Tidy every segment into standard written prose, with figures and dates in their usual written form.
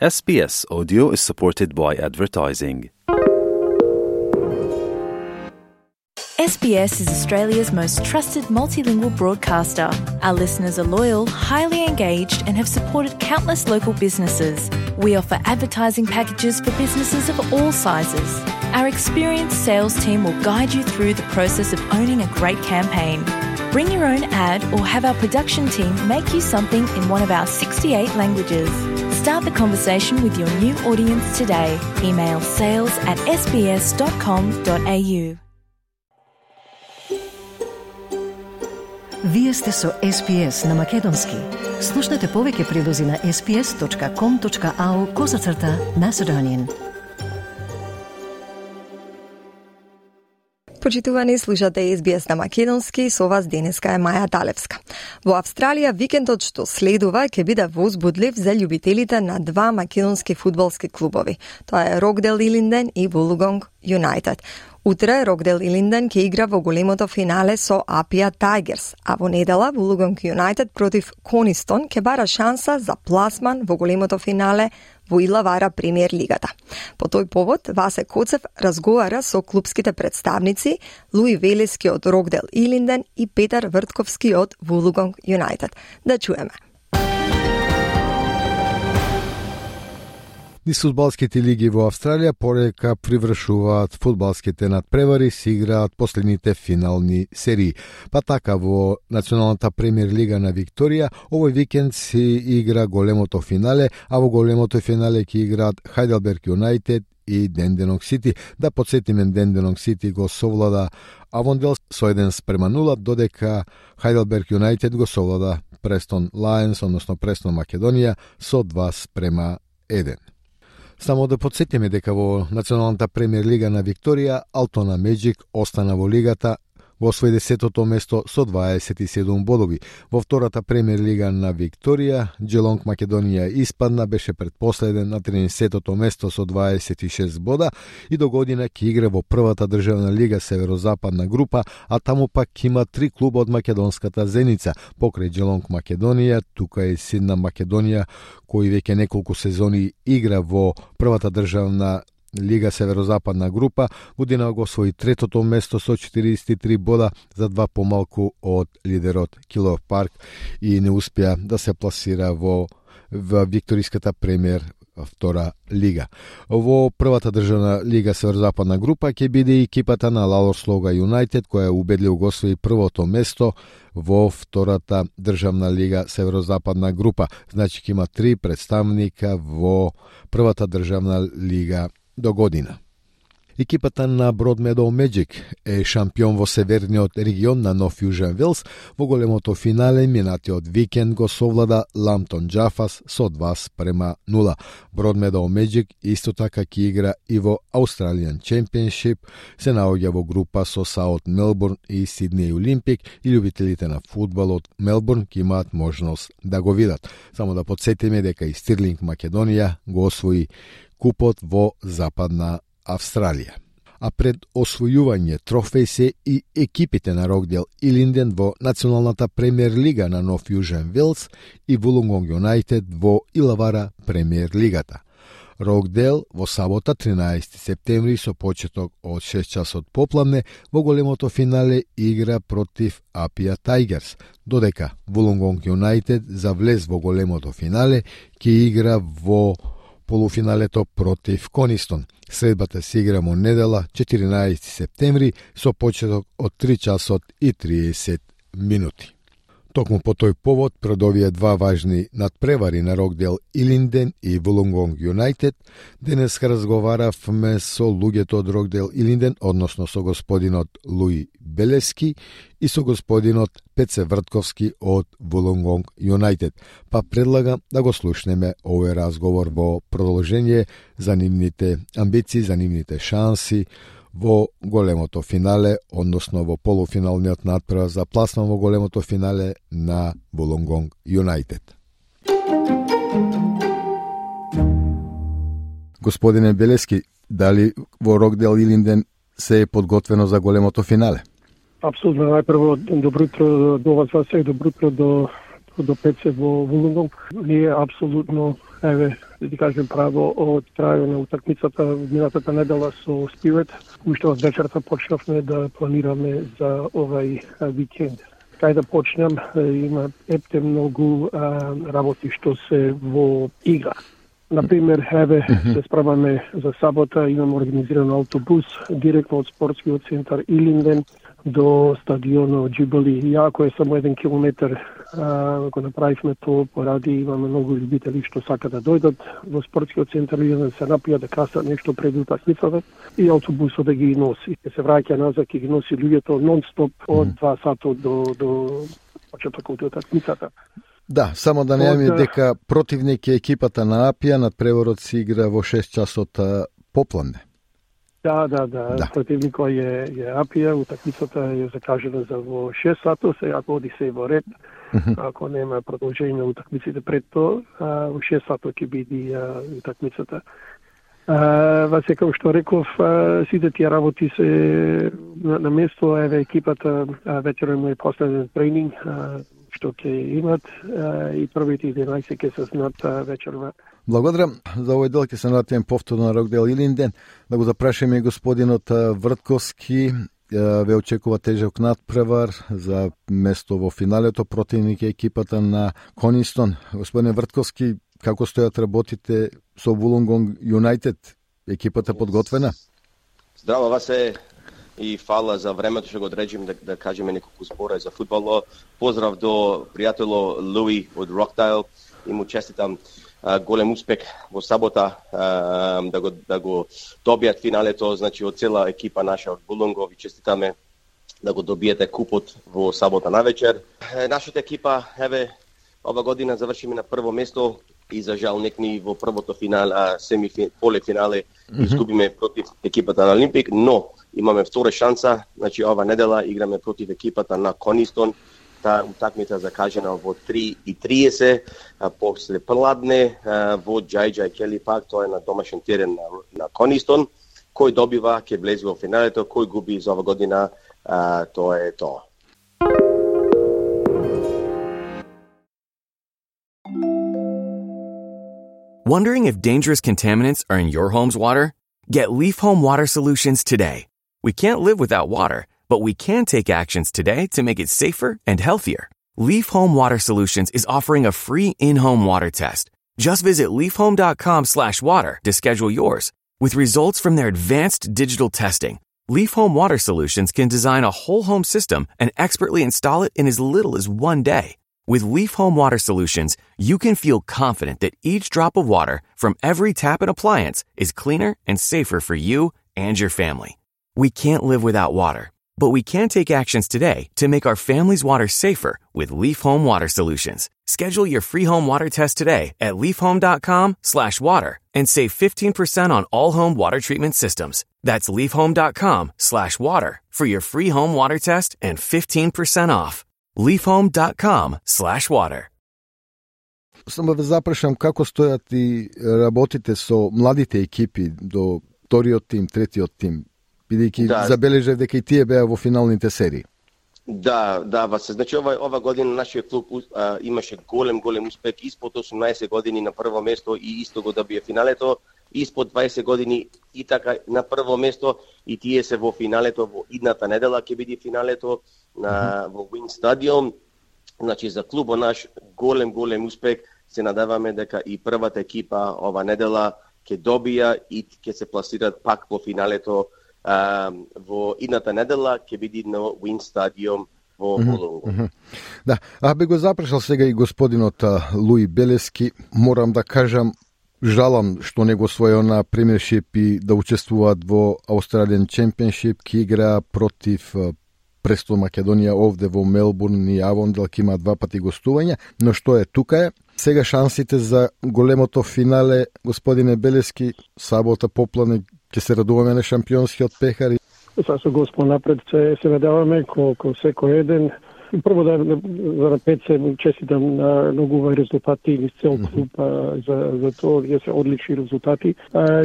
SBS Audio is supported by advertising. SBS is Australia's most trusted multilingual broadcaster. Our listeners are loyal, highly engaged, and have supported countless local businesses. We offer advertising packages for businesses of all sizes. Our experienced sales team will guide you through the process of owning a great campaign. Bring your own ad or have our production team make you something in one of our 68 languages. Start the conversation with your new audience today. Email sales@sbs.com.au. Вие сте со SBS на Македонски. Слушнете повеќе прилози на sbs.com.au/Macedonian. Почитувани, слушате SBS на Македонски, со вас денеска е Маја Талевска. Во Австралија викендот што следува ќе биде возбудлив за љубителите на два македонски фудбалски клубови. Тоа е Рокдейл Илинден и Вулугонг Юнайтед. Утре Рокдейл Илинден ќе игра во големото финале со Апија Тайгерс, а во недела Вулугонг Юнайтед против Конистон ќе бара шанса за пласман во големото финале во Илавара премиер лигата. По тој повод Васе Коцев разговара со клубските представници Луи Велески од Рокдейл Илинден и Петар Вртковски од Вулугонг Юнайтед. Да чуеме. Низ фудбалските лиги во Австралија порека привршуваат фудбалските надпревари, се играат последните финални серии. Па така во Националната премиер лига на Викторија овој викенд се игра големото финале, а во големото финале ќе играат Хајделберг Юнайтед и Денденонг Сити. Да подсетиме, Денденонг Сити го совлада Авондел со 1-0, додека Хајделберг Юнайтед го совлада Престон Лајнс, односно Престон Македонија, со 2-1. Само да подсетиме дека во Националната премиер лига на Викторија Алтона Меджик остана во лигата во свој 10-то место со 27 бодови. Во втората премиер лига на Викторија Джелонг Македонија испадна, беше предпоследен на 13-то место со 26 бода и до година ќе игра во првата државна лига Северозападна група, а таму пак има 3 клуба од македонската Зеница. Покрај Джелонг Македонија, тука е Сидна Македонија, кој веќе неколку сезони игра во првата државна Лига Северозападна група, година го освои третото место со 43 бода, за 2 помалку од лидерот Килов Парк и не успеа да се пласира во Викториската премиер втора лига. Во првата државна Лига Северозападна група ќе биде и екипата на Лалорслога Юнайтед, која убедливо го освои првото место во втората државна Лига Северозападна група. Значи ќе има 3 представника во првата државна лига до година. Екипата на Broadmeadow Magic е шампион во северниот регион на Нов Јужен Велс. Во големото финале минатиот викенд го совлада Ламптон Джафас со 2-0. Broadmeadow Magic исто така ќе игра и во Australian Championship, се наоѓа во група со South Melbourne и Sydney Olympic и љубителите на фудбал од Мелбурн ќе имаат можност да го видат. Само да подсетиме дека и Стирлинг Македонија го освои купот во Западна Австралија. А пред освојување трофеј се и екипите на Рокдейл Илинден во Националната премиер лига на Нов Јужен Велс и Вулугонг Юнайтед во Илавара премиер лигата. Рокдейл во сабота 13 септември со почеток од 6 часот попладне во големото финале игра против Апија Тайгерс, додека Вулугонг Юнайтед за влез во големото финале ќе игра во полуфиналето против Конистон. Средбата се игра во недела 14 септември со почеток од 3 часот и 30 минути. Токму по тој повод, пред овие два важни надпревари на Рокдейл Илинден и Вулугонг Юнайтед, денес разговаравме со луѓето од Рокдейл Илинден, односно со господинот Луи Белески и со господинот Пеце Вртковски од Вулугонг Юнайтед. Па предлагам да го слушнеме овој разговор во продолжение за нивните амбиции, за нивните шанси во големото финале, односно во полуфиналниот надпревар за пласман во големото финале на Вулугонг Юнайтед. Господине Белески, дали во Рокдейл Илинден се е подготвено за големото финале? Апсолутно, најпрво добро утро до вас сеј, добро утро до Пеце во Вулугонг. Ние апсолутно да ти кажем право од крајот на утакмицата минатата недела со Спирит, уште од вечерта почнавме да планираме за овај викенд. Кај да почнем, има епте многу работи што се во игра. Например, се справаме за сабота, имаме организиран автобус директно од спортскиот центар Илинден до стадионот Джибали. Иако е само 1 километар, го направивме тоа поради имаме многу љубители што сака да дојдат во спортскиот центар Илинден, се напијат да касат нешто пред утакмицата и автобусот да ги носи. Се враќа назад и ги носи луѓето нон-стоп од 2 сата до почетокот од утакмицата. Да, само да не дека противник е екипата на Апија, надпреворот се игра во 6 часот попладне. Да. Противникот е Апија, утакмицата е закажена за во 6 сата, сега оди се во ред. Ако нема продолжение на утакмиците пред тоа, во 6 сата ќе биде утакмицата. Во секој што реков, сите тие работи се на место, екипата вечером му е последен тренинг, што ќе имат и првите 11 ќе се знаат вечерва. Благодарам. За овој дел ќе се навратиме повторно на Рокдел Илинден. Да го запрашаме и господинот Вртковски. Ве очекува тежок надпревар за место во финалето. Противник е екипата на Конистон. Господин Вртковски, како стојат работите со Вулонгонг Юнайтед? Екипата подготвена? Здраво, Васе. И фала за времето што го одрежим да кажеме неколку збора за фудбало. Поздрав до пријатело Луи од Рокдайл и му честитам голем успех во сабота да го добијат финалето, значи од цела екипа наша од Булонгов и честитаме да го добиете купот во сабота навечер. Нашата екипа ова година завршиме на прво место и за жал некни во првото полуфинале изгубиме против екипата на Олимпик, но имаме втора шанса, значи ова недела играме против екипата на Конистон. Таа утакмица закажена во 3:30 после пладне во Джајджај Кели Парк, тоа е на домашен терен на Конистон. Кој добива ќе влезе во финалето, кој губи за ова година, тоа е тоа. Wondering if dangerous contaminants are in your home's water? Get Leaf Home Water Solutions today. We can't live without water, but we can take actions today to make it safer and healthier. Leaf Home Water Solutions is offering a free in-home water test. Just visit leafhome.com/water to schedule yours. With results from their advanced digital testing, Leaf Home Water Solutions can design a whole home system and expertly install it in as little as 1 day. With Leaf Home Water Solutions, you can feel confident that each drop of water from every tap and appliance is cleaner and safer for you and your family. We can't live without water, but we can take actions today to make our family's water safer with Leaf Home Water Solutions. Schedule your free home water test today at leafhome.com/water and save 15% on all home water treatment systems. That's leafhome.com/water for your free home water test and 15% off. leafhome.com/water. Само да запрашам како стојат и работите со младите екипи до вториот тим, третиот тим, бидејќи забележав дека и тие беа во финалните серии. Да, Васе. Значи ова година нашиот клуб имаше голем успех испод 18 години на прво место и исто го добија финалето, испод 20 години и така на прво место и тие се во финалето во идната недела ќе биде финалето во Wing Stadium. Значи за клубот наш голем успех. Се надеваме дека и првата екипа ова недела ќе добија и ќе се пласираат пак во финалето во идната недела ќе биде на Wing Stadium во Булонгов. Да, бе го запрашал сега и господинот Луи Белески. Морам да кажам, жалам што не го освојува на премиершип и да учествуваат во Australian Championship, ки игра против Престол Македонија овде во Мелбурн и Авондел, ки има 2 пати гостување, но што е тука е. Сега шансите за големото финале, господине Белески, сабота попладне ќе се радуваме на шампионскиот пехар. Со Господ напред се надеваме ко секој еден прво за Пеце му честитам на многу резултати и цел клуб за тоа, ние се одлични резултати.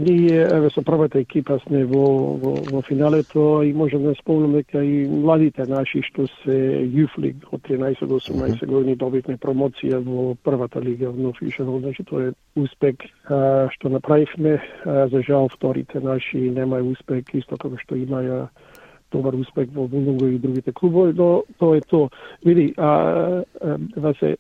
Ние со првата екипа сме во финалето и можем да спомнам дека и младите наши што се Youth League од 13 до 18 години добивме промоција во првата лига во Нов, значи тоа е успех што направивме. За жал вторите наши немаја успех, исто како што имаја добар успех во Вулунго и другите клубови, но тоа е тоа. Види, Васе,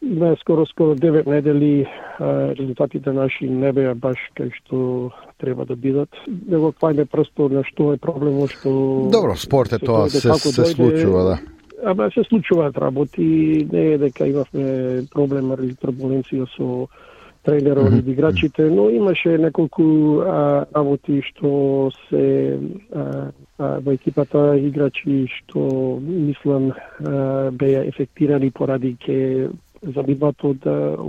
има скоро 9 недели, резултатите наши не беа баш кај што треба да бидат. Него квајме просто на што е проблемот, што... Добро, спорт е тоа, се случува, да. Ама се случуваат работи, не е дека имавме проблем или турбуленција со тренерот и играчите, но имаше неколку работи што се во екипата играчи што мислам беа ефектирани поради ке забиват од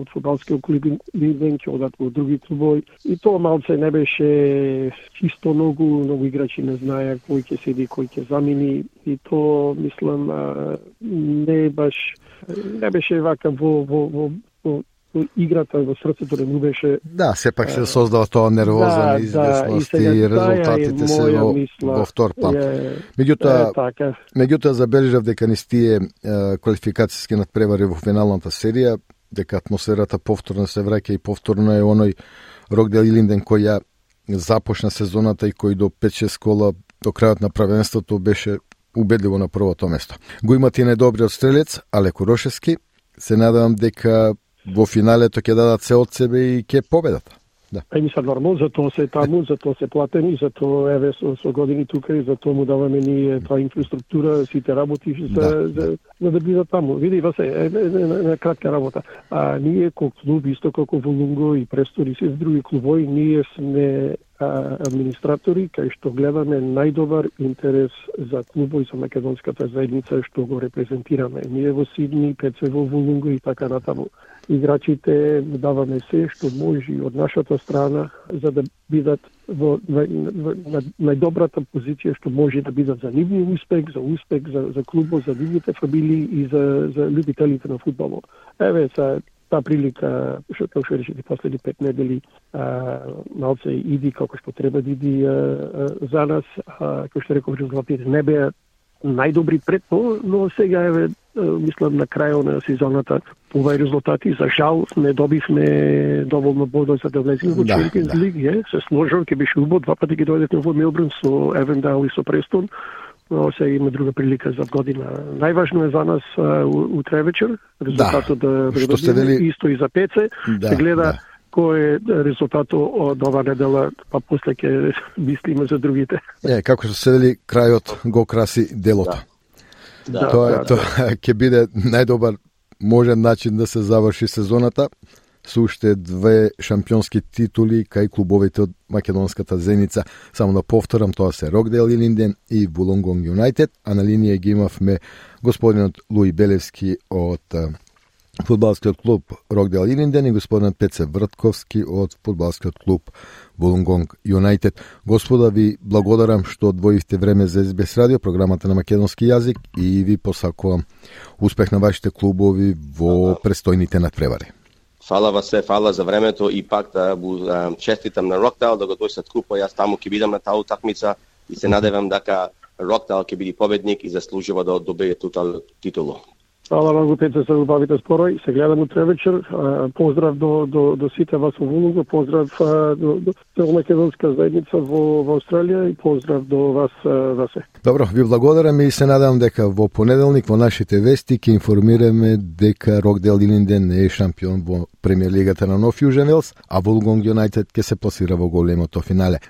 фудбалски клуби ќе одат во други клубови. И тоа малце не беше чисто, многу играчи не знаеа кој ќе седи, кој ќе замени, и тоа мислам не беше вака во играта, во срцето не му беше... Да, сепак се создава тоа нервоза, неизвестност и резултатите се во втор план. Меѓутоа забележав дека низ тие квалификацијски надпревари во финалната серија, дека атмосферата повторно се враќа и повторно е оној Рокдел Илинден кој ја започна сезоната и кој до 5-6 кола до крајот на правенството беше убедливо на првото место. Го имат и најдобриот стрелец, Алеко Рошевски. Се надевам дека во финалето ќе дадат се од себе и ќе победат. Да. Мислам нормално, затоа се таму, затоа се платени, затоа еве со години тука и затоа му даваме ние таа инфраструктура, сите работи за да бидат таму. Види, Васе, на кратка работа. Ние како клуб, исто како Вулунго и Престон и се други клубови, ние сме администратори кај што гледаме најдобар интерес за клубот и за македонската заедница што го репрезентираме. Ние во Сидни, ПЦ во Вулунго и така натаму. Играчите даваме се што може од нашата страна за да бидат во најдобрата позиција што може да бидат за нивни успех, за клубот, за нивните фамилии и за љубителите на фудбалот. Еве таа прилика, што речете последни 5 недели, малце иди како што треба да иди за нас, како што реков, резултатите не беа најдобри пред тоа, но сега еве мислам на крајот на сезоната овај резултати, за жал не добивме доволно бодови за да влеземе во Champions League, се сложил, ќе беше убаво, два пати ќе дојдете во Мелбурн со Евендайл и со Престон. Но сега има друга прилика за година. Најважно е за нас утре вечер резултатот да видиме, исто и за ПЦ, се гледа кој е резултатот од ова недела, па после ќе мислиме за другите. Како што се вели, крајот го краси делото. Тоа ќе биде најдобар можен начин да се заврши сезоната со уште 2 шампионски титули кај клубовите од македонската зеница. Само да повторам, тоа се Рокдел Илинден и Вулонгонг Юнайтед, а на линија ги имавме господинот Луи Белевски од фудбалскиот клуб Рокдел Илинден и господинот Пеце Вртковски од фудбалскиот клуб Вулонгонг Юнайтед. Господа, ви благодарам што одвоивте време за СБС радио, програмата на македонски јазик, и ви посакувам успех на вашите клубови во престојните надпревари. Фала Васе, фала за времето и пак да честитам на Рокдал да го дојсат купо. Јас таму ќе бидам на таа утакмица и се надевам дека Рокдал ќе биде победник и заслужува да добие титулу. Фала многу, Пеце, за убавите спорој. Се гледам утре вечер. Поздрав до сите вас во Вулунго, поздрав до македонска заедница во Австралија и поздрав до вас, Васе. Добро, ви благодарам и се надевам дека во понеделник во нашите вести ќе информираме дека Рокдел Илинден не е шампион во премиер лигата на Нов Јужен Велс, а Вулонгонг Юнайтед ќе се пласира во големото финале.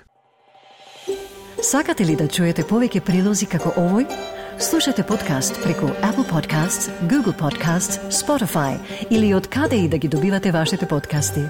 Сакате ли да чуете повеќе прилози како овој? Слушате подкаст преку Apple Podcasts, Google Podcasts, Spotify или од каде и да ги добивате вашите подкасти.